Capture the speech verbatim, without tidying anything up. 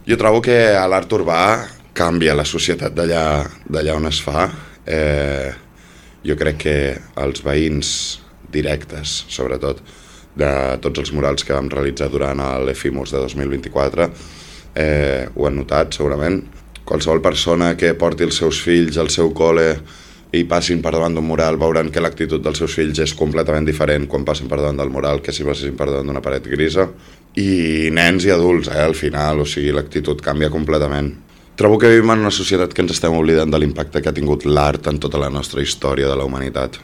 Jo trobo que l'art urbà canvia la societat d'allà d'allà on es fa. Eh, jo crec que els veïns directes, sobretot, de tots els murals que vam realitzar durant l'Efimos de dos mil vint-i-quatre, eh, ho han notat segurament. Qualsevol persona que porti els seus fills al seu col·le i passin per davant d'un mural veuran que l'actitud dels seus fills és completament diferent quan passen per davant del mural que si passin per davant d'una paret grisa. I nens i adults, eh, al final, o sigui, l'actitud canvia completament. Trobo que vivim en una societat que ens estem oblidant de l'impacte que ha tingut l'art en tota la nostra història de la humanitat.